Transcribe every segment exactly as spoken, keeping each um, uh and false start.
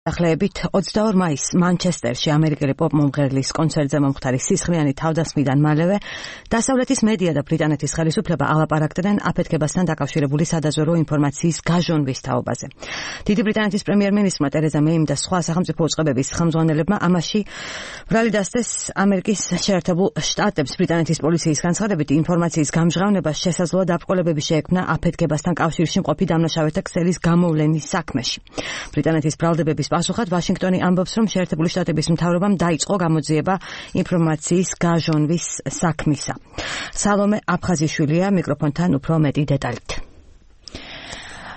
Ახლებით ოცდაორ მაისს მანჩესტერში ამერიკელი პოპ მომღერლის კონცერტზე მომხდარი სისხლიანი თავდასხმიდან მალევე დასავლეთის მედია და ბრიტანეთის ხელისუფლება ალაპარაკდნენ აფეთქებასთან დაკავშირებული სადაზვერვო ინფორმაციის გაჟონვის თაობაზე. დიდი ბრიტანეთის პრემიერ-მინისტრმა ტერეზა მეიმ და სხვა სახელმწიფო უწყებების ხელმძღვანელებმა ამაში ბრალი დასდეს ამერიკის შეერთებულ შტატებს ბრიტანეთის პოლიციის განცხადებით ინფორმაციის გამჟღავნებას შესაძლოა დაბრკოლებები შეექმნა აფეთქებასთან კავშირში მყოფი დამნაშავეთა ქსელის გამოვლენის საქმეში. ბრიტანეთის ბრალდებების პასუხად ვაშინგტონი ამბობს, რომ შეერთებული შტატების მთავრობამ დაიწყო გამოძიება ინფორმაციის გაჟონვის საქმისა. სალომე აფხაზიშვილია მიკროფონთან უფრო მეტი დეტალით.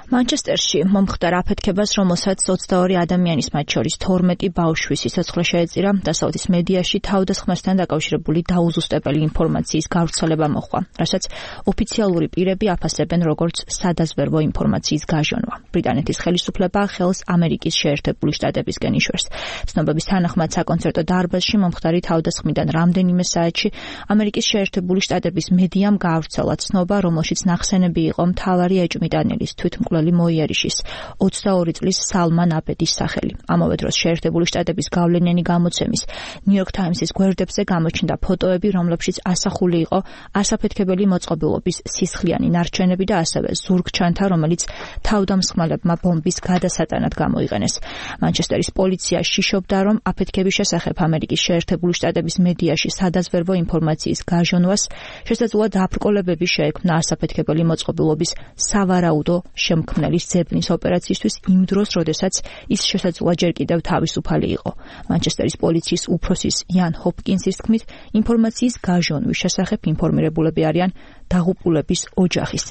მანჩესტერში მომხდარ აფეთქებას, რომელსაც ოცდაორი ადამიანის, მათ შორის თორმეტი ბავშვის სიცოცხლე შეეწირა, დასავლეთის მედიაში თავდასხმასთან დაკავშირებული დაუზუსტებელი ინფორმაციის გავრცელება მოჰყვა, რასაც ოფიციალური პირები აფასებენ როგორც სადაზვერვო ინფორმაციის გაჟონვა. ბრიტანეთის ხელისუფლება ხელს ამერიკის შეერთებული შტატებისკენ იშვერს. ცნობების თანახმად საკონცერტო დარბაზში მომხდარი თავდასხმიდან რამდენიმე საათში ამერიკის შეერთებული შტატების მედიამ გაავრცელა ცნობა, რომელშიც ნახსენები იყო მთავარი ეჭვმიტანილის თვითმკვლელი მოიერიშის ოცდაორი წლის სალმან აბედის სახელი. ამავე დროს შეერთებული შტატების გავლენიანი გამოცემის ნიუ-იორკ ტაიმსის გვერდებზე გამოჩნდა ფოტოები, რომლებშიც ასახული იყო ასაფეთქებელი მოწყობილობის სისხლიანი ნარჩენები და ასევე ზურგჩანთა, რომელიც თავდამსხმელებმა ბომბის გადასატანად გამოიყენეს. მანჩესტერის პოლიცია შიშობდა, რომ აფეთქების შესახებ ამერიკის შეერთებული შტატების მედიაში სადაზვერვო ინფორმაციის გაჟონვას შესაძლოა დაბრკოლებები შეექმნა ასაფეთქებელი მოწყობილობის სავარაუდო შემქმნელის ძებნის ოპერაციისთვის იმ დროს, როდესაც ის შესაძლოა ჯერ კიდევ თავისუფალი იყო. მანჩესტერის პოლიციის უფროსის იან ჰოპკინსის თქმით, ინფორმაციის გაჟონვის შესახებ ინფორმირებულები არიან დაღუპულების ოჯახის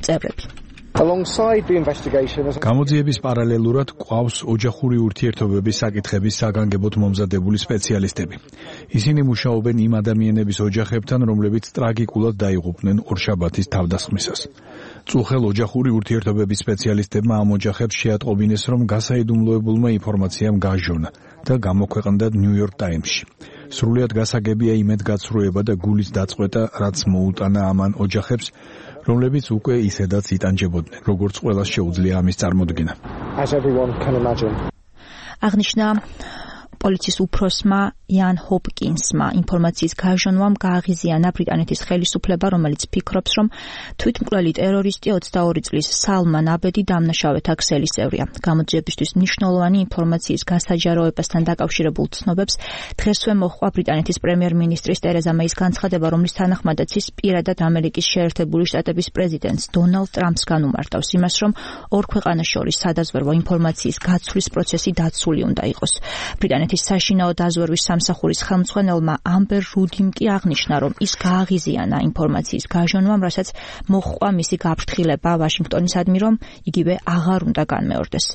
წევრები. გამოძიების პარალელურად გვყავს ოჯახური ურთიერთობების საკითხების საგანგებოდ მომზადებული სპეციალისტები. ისინი მუშაობენ იმ ადამიანების ოჯახებთან, რომლებიც ტრაგიკულად დაიღუპნენ ორშაბათის თავდასხმისას. წუხელ ოჯახური ურთიერთობების სპეციალისტებმა ამ ოჯახებს შეატყობინეს, რომ გასაიდუმლოებულმა ინფორმაციამ გაჟონა და გამოქვეყნდა ნიუ-იორკ ტაიმსში. სრულიად გასაგებია იმედგაცრუება და გულის დაწყვეტა, რაც მოუტანა ამან ოჯახებს, რომლებიც უკვე ისედაც იტანჯებოდნენ, როგორც ყველას შეუძლია ამის წარმოდგენა. აღნიშნა პოლიციის უფროსმა იან ჰოპკინსმა ინფორმაციის გაჟონვამ გააღიზიანა ბრიტანეთის ხელისუფლება, რომელიც ფიქრობს, რომ თვითმკვლელი ტერორისტი ოცდაორი წლის სალმან აბედი დამნაშავეთა ქსელის წევრია. გამოძიებისთვის მნიშვნელოვანი ინფორმაციის გასაჯაროებასთან დაკავშირებულ ცნობებს დღესვე მოჰყვა ბრიტანეთის პრემიერ-მინისტრის ტერეზა მეის განცხადება, რომლის თანახმადაც ის პირადად ამერიკის შეერთებული შტატების პრეზიდენტს დონალდ ტრამპს განუმარტავს იმას, რომ ორ ქვეყანას შორის სადაზვერვო ინფორმაციის გაცვლის პროცესი დაცული უნდა იყოს. ბრიტანეთის საშინაო დაზვერვის სამსახურის ხელმძღვანელმა ამბერ რუდიმ კი აღნიშნა, რომ ის გააღიზიანა ინფორმაციის გაჟონვამ, რასაც მოჰყვა მისი გაფრთხილება ვაშინგტონისადმი, რომ იგივე აღარ უნდა განმეორდეს.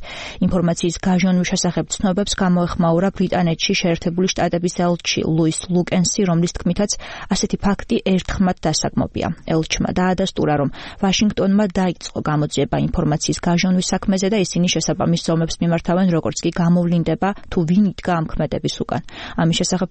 ინფორმაციის გაჟონვის შესახებ ცნობებს გამოეხმაურა ბრიტანეთში შეერთებული შტატების ელჩი ლუის ლუკენსი, რომლის თქმითაც ასეთი ფაქტი ერთხმად დასაგმობია. ელჩმა დაადასტურა, რომ ვაშინგტონმა დაიწყო გამოძიება ინფორმაციის გაჟონვის საქმეზე და ისინი შესაბამის ზომებს მიმართავენ, როგორც კი გამოვლინდება თუ ვინ იდგა ამ ქმედების უკან. ამის შესახებ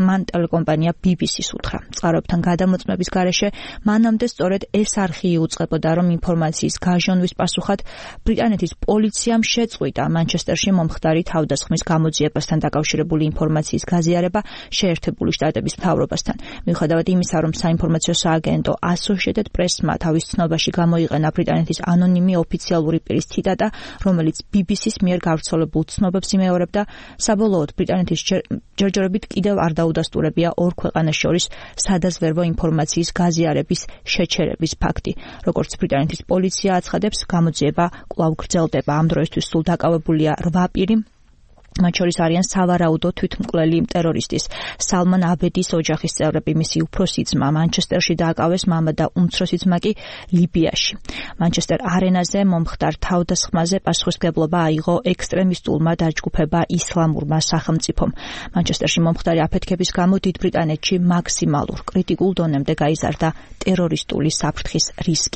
მან ტელეკომპანია ბი ბი სის უთხრა. წყაროებთან გადამოწმების გარეშე მანამდე სწორედ ეს არხი იუწყებოდა, რომ ინფორმაციის გაჟონვის პასუხად ბრიტანეთის პოლიციამ შეწყვიტა მანჩესტერში მომხდარი თავდასხმის გამოძიებასთან დაკავშირებული ინფორმაციის გაზიარება შეერთებული შტატების მთავრობასთან. მიუხედავად იმისა, რომ საინფორმაციო სააგენტო Associated Press-მა თავის ცნობაში გამოიყენა ბრიტანეთის ანონიმი ოფიციალური პირის ციტატა, რომელიც ბი ბი სის მიერ გავრცელებულ ცნობებს იმეორებდა, საბოლოოდ ბრიტანეთის ჯერჯერობით კიდევ არ დაუდასტურებია ორ ქვეყანას შორის სადაზვერვო ინფორმაციის გაზიარების შეჩერების ფაქტი. როგორც ბრიტანეთის პოლიცია აცხადებს, გამოძიება კვლავ გრძელდება. ამ დროისთვის სულ დაკავებულია რვა პირი. მათ შორის არიან სავარაუდო თვითმკვლელი ტერორისტის სალმან აბედის ოჯახის წევრები, მისი უფროსი ძმა მანჩესტერში დააკავეს, მამა და უმცროსი ძმა კი ლიბიაში. მანჩესტერ არენაზე მომხდარ თავდასხმაზე პასუხისმგებლობა აიღო ექსტრემისტულმა დაჯგუფება ისლამურმა სახელმწიფომ. მანჩესტერში მომხდარი აფეთქების გამო დიდ ბრიტანეთში მაქსიმალურ კრიტიკულ დონემდე გაიზარდა ტერორისტული საფრთხის რისკი.